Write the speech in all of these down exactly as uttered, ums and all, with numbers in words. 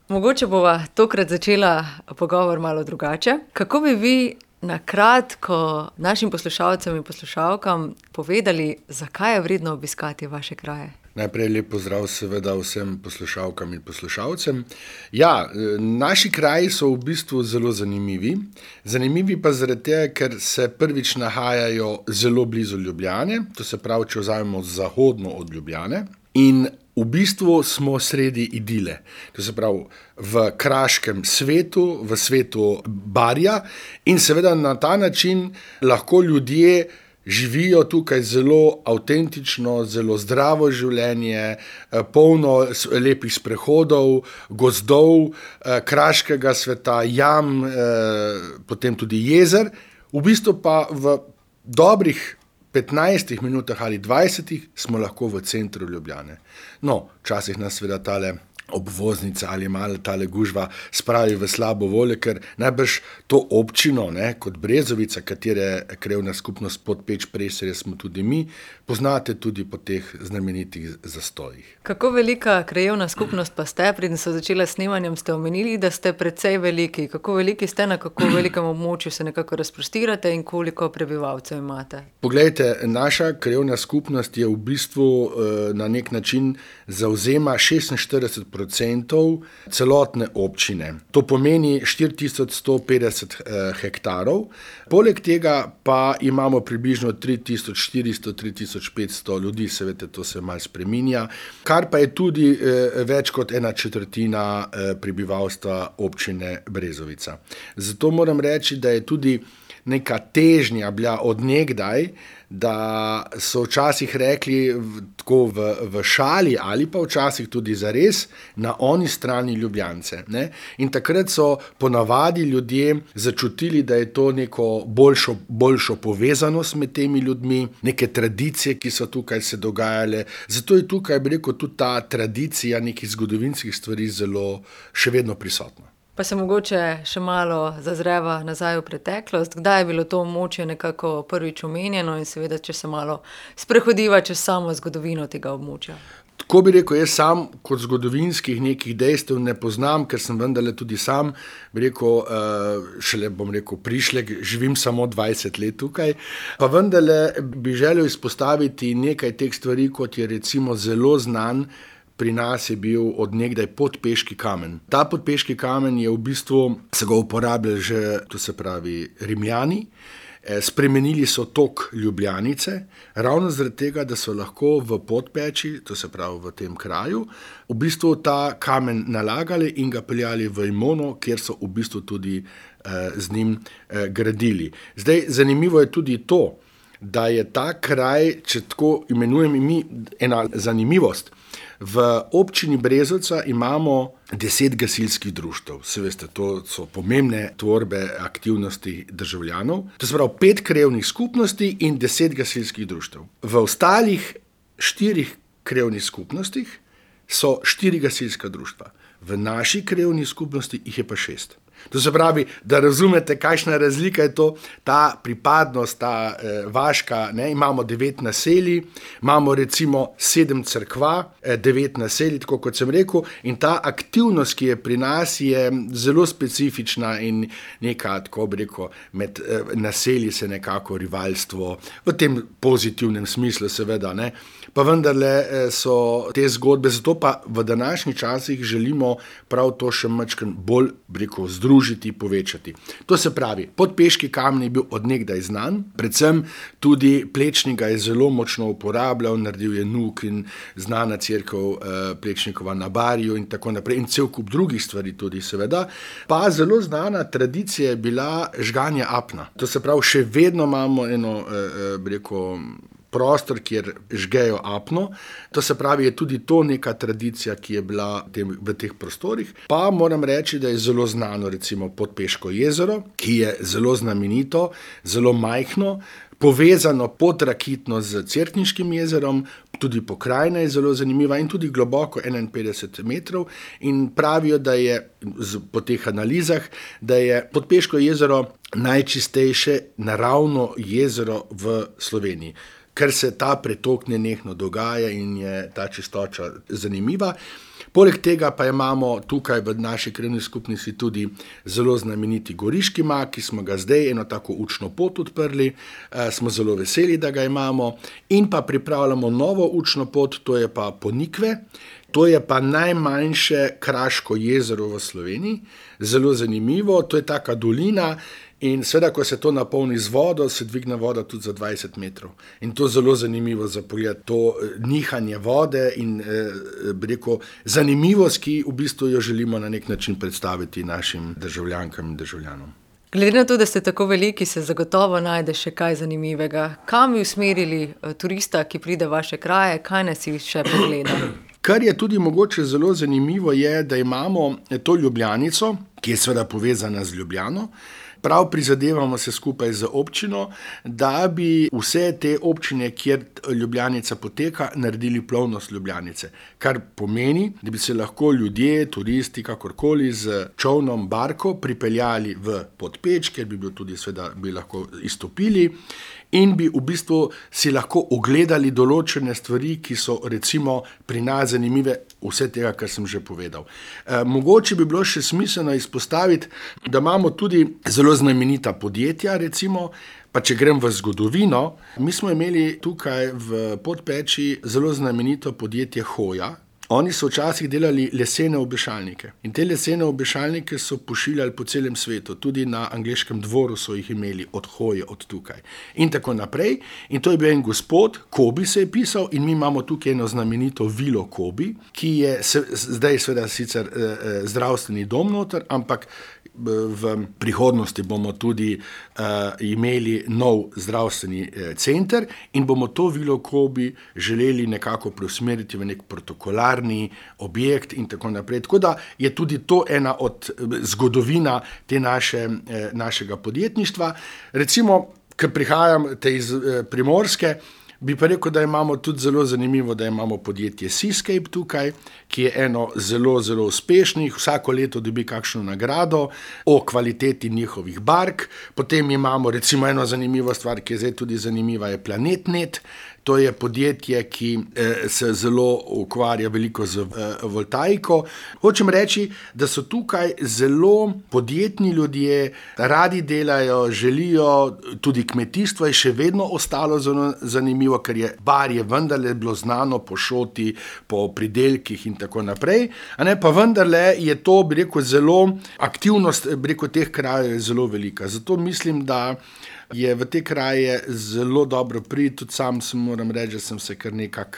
Mogoče bova tokrat začela pogovor malo drugače. Kako bi vi na kratko našim poslušalcem in poslušalkam povedali, zakaj je vredno obiskati vaše kraje? Najprej lep pozdrav seveda vsem poslušalkam in poslušalcem. Ja, naši kraji so v bistvu zelo zanimivi. Zanimivi pa zaradi tega, ker se prvič nahajajo zelo blizu Ljubljane, to se pravi, če vzamemo zahodno od Ljubljane. In v bistvu smo sredi idile, to se pravi v kraškem svetu, v svetu Barja in seveda na ta način lahko ljudje živijo tukaj zelo avtentično, zelo zdravo življenje, polno lepih sprehodov, gozdov, kraškega sveta, jam, potem tudi jezer, v bistvu pa v dobrih petnajstih minutah ali dvajsetih smo lahko v centru Ljubljane. No, včasih nas seveda tale obvoznica ali malo tale gužva spravi v slabo voljo, ker najbrž to občino, ne, kot Brezovica, katere krajevna skupnost Podpeč-Preserje smo tudi mi, poznate tudi po teh znamenitih zastojih. Kako velika krajevna skupnost pa ste? Preden so začela s snemanjem, ste omenili, da ste precej veliki. Kako veliki ste, na kako velikem območju se nekako razprostirate in koliko prebivalcev imate? Poglejte, naša krajevna skupnost je v bistvu na nek način zavzema šestinštirideset procentov celotne občine. To pomeni štiri tisoč sto petdeset hektarov. Poleg tega pa imamo približno tri tisoč štiristo do tri tisoč petsto ljudi, seveda to se malo spreminja, kar pa je tudi eh, več kot ena četrtina eh, prebivalstva občine Brezovica. Zato moram reči, da je tudi neka težnja bila od nekdaj, da so včasih rekli v, tako v, v šali ali pa včasih tudi zares na oni strani Ljubljance. Ne? In takrat so ponavadi ljudje začutili, da je to neko boljšo, boljšo povezanost med temi ljudmi, neke tradicije, ki so tukaj se dogajale. Zato je tukaj, bi rekel, tudi ta tradicija nekih zgodovinskih stvari zelo še vedno prisotna. Pa se mogoče še malo zazreva nazaj v preteklost. Kdaj je bilo to območje nekako prvič omenjeno in seveda, če se malo sprehodiva čez samo zgodovino tega območja? Tako bi rekel, jaz sam kot zgodovinskih nekih dejstev ne poznam, ker sem vendarle tudi sam, bi rekel, šele bom rekel prišlek, živim samo dvajset let tukaj, pa vendarle bi želel izpostaviti nekaj teh stvari, kot je recimo zelo znan. Pri nas je bil od nekdaj podpeški kamen. Ta podpeški kamen je v bistvu, se ga uporabljali že, to se pravi, Rimljani. Spremenili so tok Ljubljanice, ravno zaradi tega, da so lahko v Podpeči, to se pravi v tem kraju, v bistvu ta kamen nalagali in ga peljali v Imono, kjer so v bistvu tudi eh, z njim eh, gradili. Zdaj, zanimivo je tudi to, da je ta kraj, če tako imenujem mi, ena zanimivost. V občini Brezovica imamo deset gasilskih društev. Se veste, to so pomembne tvorbe aktivnosti državljanov. To se pravi pet krajevnih skupnosti in deset gasilskih društev. V ostalih štirih krajevnih skupnostih so štiri gasilska društva. V naši krajevni skupnosti jih je pa šest. To se pravi, da razumete, kakšna razlika je to, ta pripadnost, ta eh, vaška, ne, imamo devet naselij, imamo recimo sedem cerkva, eh, devet naselij, tako kot sem rekel, in ta aktivnost, ki je pri nas, je zelo specifična in neka, tako bi rekel, med eh, naselji se nekako rivalstvo, v tem pozitivnem smislu seveda, ne, pa vendarle eh, so te zgodbe, zato pa v današnjih časih želimo prav to še majčkeno bolj, bi rekel, združiti, povečati. To se pravi, podpeški kamen je bil od nekdaj znan, predvsem tudi Plečnik ga je zelo močno uporabljal, naredil je Nuk in znana cerkev eh, Plečnikova na Barju in tako naprej in cel kup drugih stvari tudi seveda. Pa zelo znana tradicija je bila žganje apna. To se pravi, še vedno imamo eno, eh, bi rekel, prostor, kjer žgejo apno. To se pravi, je tudi to neka tradicija, ki je bila v teh prostorih. Pa moram reči, da je zelo znano recimo Podpeško jezero, ki je zelo znamenito, zelo majhno, povezano podrakitno z Cerkniškim jezerom, tudi pokrajina je zelo zanimiva in tudi globoko enainpetdeset metrov in pravijo, da je po teh analizah, da je Podpeško jezero najčistejše naravno jezero v Sloveniji, ker se ta pretok nenehno dogaja in je ta čistoča zanimiva. Poleg tega pa imamo tukaj v naši krajevni skupnosti tudi zelo znameniti Goriški mak, ki smo ga zdaj eno tako učno pot odprli, e, smo zelo veseli, da ga imamo, in pa pripravljamo novo učno pot, to je pa Ponikve. To je pa najmanjše kraško jezero v Sloveniji, zelo zanimivo, to je taka dolina in seveda, ko se to napolni z vodo, se dvigne voda tudi za dvajset metrov. In to je zelo zanimivo za pogled, to nihanje vode in eh, rekel, zanimivost, ki v bistvu jo želimo na nek način predstaviti našim državljankam in državljanom. Glede na to, da ste tako veliki, se zagotovo najde še kaj zanimivega. Kam bi usmerili turista, ki pride v vaše kraje, kaj nas si še pogleda? Kar je tudi mogoče zelo zanimivo je, da imamo to Ljubljanico, ki je seveda povezana z Ljubljano. Prav prizadevamo se skupaj z občino, da bi vse te občine, kjer Ljubljanica poteka, naredili plovnost Ljubljanice. Kar pomeni, da bi se lahko ljudje, turisti, kakorkoli z čolnom, barko pripeljali v Podpeč, kjer bi bil tudi seveda bi lahko izstopili in bi v bistvu si lahko ogledali določene stvari, ki so recimo pri nas zanimive, vse tega, kar sem že povedal. E, mogoče bi bilo še smiselno izpostaviti, da imamo tudi zelo znamenita podjetja, recimo, pa če grem v zgodovino, mi smo imeli tukaj v Podpeči zelo znamenito podjetje Hoja. Oni so včasih delali lesene obešalnike in te lesene obešalnike so pošiljali po celem svetu, tudi na angleškem dvoru so jih imeli od Hoje, od tukaj in tako naprej. In to je bil en gospod, Kobi se je pisal, in mi imamo tukaj eno znamenito vilo Kobi, ki je se, zdaj seveda sicer eh, zdravstveni dom noter, ampak v prihodnosti bomo tudi uh, imeli nov zdravstveni eh, center in bomo to vilo Kobi želeli nekako preusmeriti v nek protokolarni objekt in tako naprej. Tako da je tudi to ena od zgodovina te naše, eh, našega podjetništva. Recimo, ker prihajam te iz eh, Primorske, bi pa rekel, da imamo tudi zelo zanimivo, da imamo podjetje Seascape tukaj, ki je eno zelo, zelo uspešnih, vsako leto dobi kakšno nagrado o kvaliteti njihovih bark. Potem imamo recimo eno zanimivo stvar, ki je zdaj tudi zanimiva, je PlanetNet. To je podjetje, ki eh, se zelo ukvarja veliko z eh, voltaiko. Hočem reči, da so tukaj zelo podjetni ljudje, radi delajo, želijo, tudi kmetijstvo je še vedno ostalo zelo zanimivo, ker je bar je vendarle bilo znano po šoti, po pridelkih in tako naprej. A ne, pa vendarle je to, bi rekel, zelo aktivnost, bi rekel, teh krajev je zelo velika. Zato mislim, da je v te kraje zelo dobro priti, tudi sam sem, moram reči, da sem se kar nekako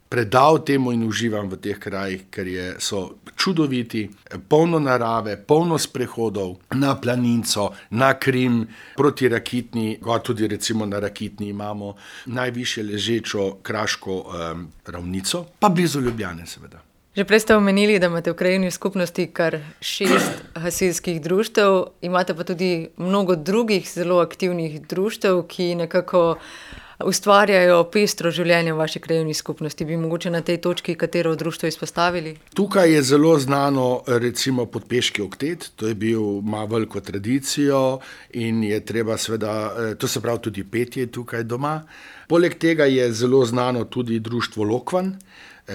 predal temu in uživam v teh krajih, ker je, so čudoviti, polno narave, polno sprehodov na Planinco, na Krim, proti Rakitni, tudi recimo na Rakitni imamo najvišje ležečo kraško um, ravnico, pa blizu Ljubljane seveda. Že prej ste omenili, da imate v krajevni skupnosti kar šest gasilskih društev, imate pa tudi mnogo drugih zelo aktivnih društev, ki nekako ustvarjajo pestro življenje v vaši krajevni skupnosti. Bi mogoče na tej točki katero društvo izpostavili? Tukaj je zelo znano recimo Podpeški oktet, to je bil, ima veliko tradicijo in je treba seveda, to se pravi tudi petje tukaj doma. Poleg tega je zelo znano tudi društvo Lokvan,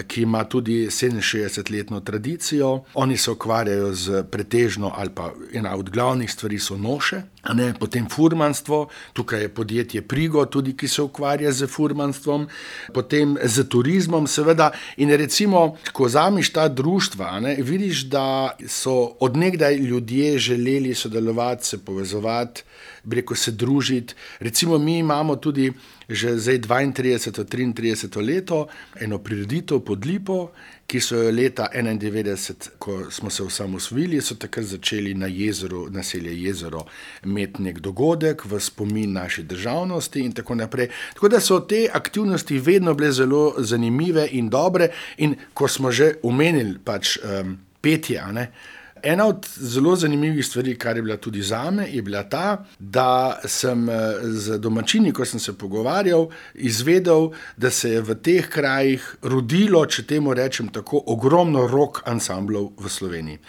ki ima tudi sedeminšestdesetletno tradicijo. Oni se ukvarjajo z pretežno, ali pa ena od glavnih stvari so noše, a ne, potem furmanstvo, tukaj je podjetje Prigo tudi, ki se ukvarja z furmanstvom, potem z turizmom seveda. In recimo, ko vzameš ta društva, a ne, vidiš, da so od nekdaj ljudje želeli sodelovati, se povezovati, bi rekel, se družiti. Recimo mi imamo tudi že zdaj dvaintrideseto, triintrideseto leto eno prireditev Pod Lipo, ki so jo leta enaindevetdeset, ko smo se osamosvojili, so takrat začeli na jezeru, naselje Jezero, imeti nek dogodek v spomin naše državnosti in tako naprej. Tako da so te aktivnosti vedno bile zelo zanimive in dobre, in ko smo že omenili pač um, petje, a ne, ena od zelo zanimivih stvari, kar je bila tudi zame, je bila ta, da sem z domačini, ko sem se pogovarjal, izvedel, da se je v teh krajih rodilo, če temu rečem tako, ogromno rock ansamblov v Sloveniji.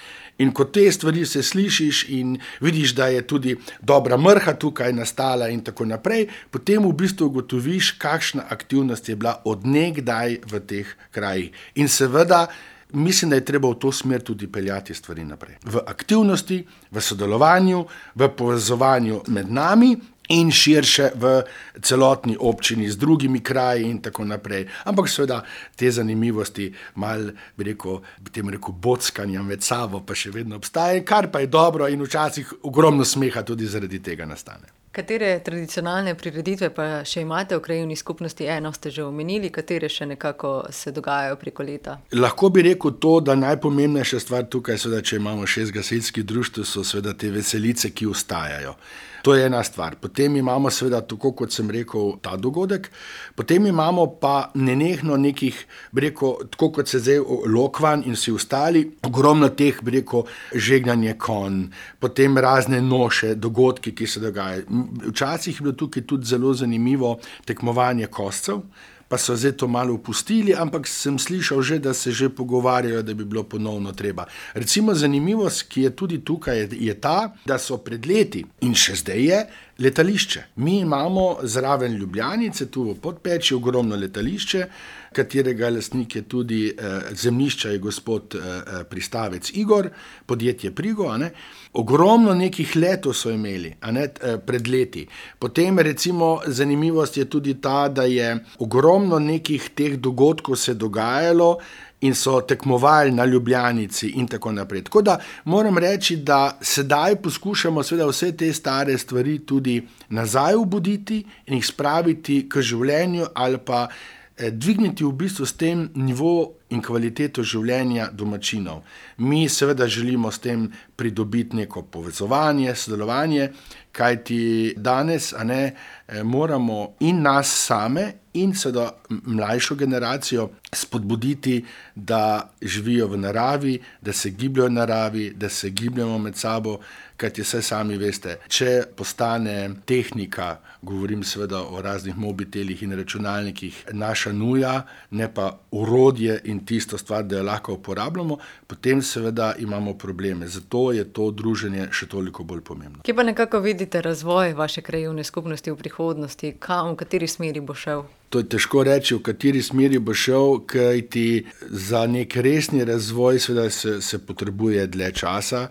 In ko te stvari se slišiš in vidiš, da je tudi dobra mrha tukaj nastala in tako naprej, potem v bistvu ugotoviš, kakšna aktivnost je bila od nekdaj v teh krajih. In seveda, mislim, da je treba v to smer tudi peljati stvari naprej. V aktivnosti, v sodelovanju, v povezovanju med nami in širše v celotni občini z drugimi kraji in tako naprej. Ampak seveda te zanimivosti, malo bi rekel, bi tem rekel, bockanja med sabo pa še vedno obstaja, kar pa je dobro in včasih ogromno smeha tudi zaradi tega nastane. Katere tradicionalne prireditve pa še imate v krajevni skupnosti? Eno ste že omenili, katere še nekako se dogajajo preko leta? Lahko bi rekel to, da najpomembnejša stvar tukaj, seveda, če imamo šest gasilskih društev, so seveda te veselice, ki ostajajo. To je ena stvar. Potem imamo seveda, tako kot sem rekel, ta dogodek. Potem imamo pa nenehno nekih, bi rekel, tako kot se zdaj Lokvanj in vsi ostali, ogromno teh, bi rekel, žegnanje konj, potem razne noše, dogodki, ki se dogajajo. Včasih je bilo tukaj tudi zelo zanimivo tekmovanje koscev, pa so zdaj to malo opustili, ampak sem slišal že, da se že pogovarjajo, da bi bilo ponovno treba. Recimo zanimivost, ki je tudi tukaj, je ta, da so pred leti in še zdaj je letališče. Mi imamo zraven Ljubljanice, tu v Podpeči, ogromno letališče, katerega lastnik je tudi eh, zemljišča je gospod eh, Pristavec Igor, podjetje Prigo, a ne. Ogromno nekih letov so imeli, a ne, eh, pred leti. Potem recimo zanimivost je tudi ta, da je ogromno nekih teh dogodkov se dogajalo in so tekmovali na Ljubljanici in tako naprej. Tako da moram reči, da sedaj poskušamo seveda vse te stare stvari tudi nazaj obuditi in jih spraviti k življenju ali pa eh, dvigniti v bistvu s tem nivo in kvaliteto življenja domačinov. Mi seveda želimo s tem pridobiti neko povezovanje, sodelovanje, kajti danes, a ne, moramo in nas same in seveda mlajšo generacijo spodbuditi, da živijo v naravi, da se gibljajo v naravi, da se gibljamo med sabo, kajti saj sami veste, če postane tehnika, govorim seveda o raznih mobitelih in računalnikih, naša nuja, ne pa orodje in tisto stvar, da jo lahko uporabljamo, potem seveda imamo probleme. Zato je to druženje še toliko bolj pomembno. Kje pa nekako vidite razvoj vaše krajevne skupnosti v prihodnosti? Kam, v kateri smeri bo šel? To je težko reči, v kateri smeri bo šel, kajti za nek resni razvoj seveda se, se potrebuje dlje časa.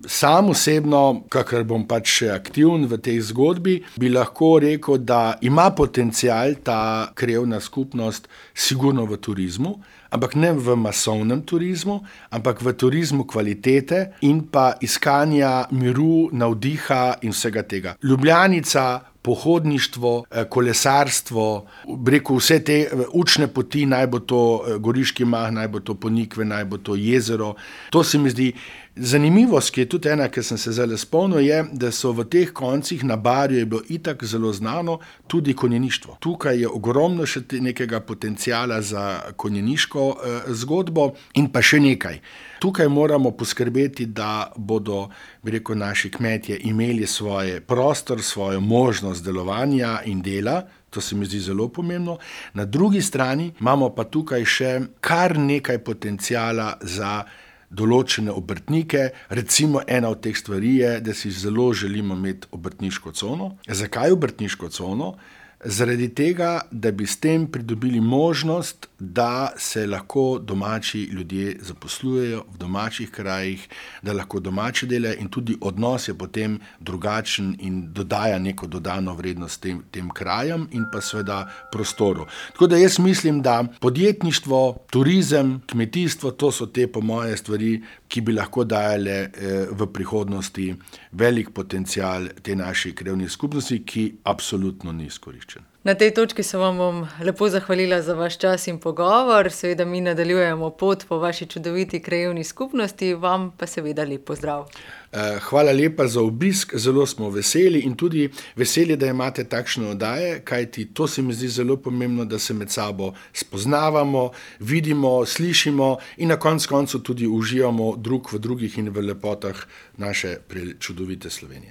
Sam osebno, kakor bom pač še aktiven v tej zgodbi, bi lahko rekel, da ima potencial ta krajevna skupnost sigurno v turizmu, ampak ne v masovnem turizmu, ampak v turizmu kvalitete in pa iskanja miru, navdiha in vsega tega. Ljubljanica, pohodništvo, kolesarstvo, rekel vse te učne poti, naj bo to Goriški mah, naj bo to Ponikve, naj bo to jezero. To se mi zdi zanimivost, ki je tudi ena, ki sem se zdaj spomnil, je, da so v teh koncih na Barju je bilo itak zelo znano tudi konjeništvo. Tukaj je ogromno še nekega potencijala za konjeniško eh, zgodbo in pa še nekaj. Tukaj moramo poskrbeti, da bodo, bi rekel, naši kmetje imeli svoj prostor, svojo možnost delovanja in dela. To se mi zdi zelo pomembno. Na drugi strani imamo pa tukaj še kar nekaj potencijala za določene obrtnike. Recimo ena od teh stvari je, da si zelo želimo imeti obrtniško cono. Zakaj obrtniško cono? Zaradi tega, da bi s tem pridobili možnost, da se lahko domači ljudje zaposlujejo v domačih krajih, da lahko domače delajo in tudi odnos je potem drugačen in dodaja neko dodano vrednost tem, tem krajem in pa seveda prostoru. Tako da jaz mislim, da podjetništvo, turizem, kmetijstvo, to so te po moje stvari, ki bi lahko dajale eh, v prihodnosti velik potencial te naši krajevni skupnosti, ki absolutno ni izkoriščen. Na tej točki se vam bom lepo zahvalila za vaš čas in pogovor. Seveda mi nadaljujemo pot po vaši čudoviti krajevni skupnosti, vam pa seveda lep pozdrav. Hvala lepa za obisk, zelo smo veseli in tudi veseli, da imate takšne oddaje, kajti to se mi zdi zelo pomembno, da se med sabo spoznavamo, vidimo, slišimo in na koncu koncu tudi uživamo drug v drugih in v lepotah naše čudovite Slovenije.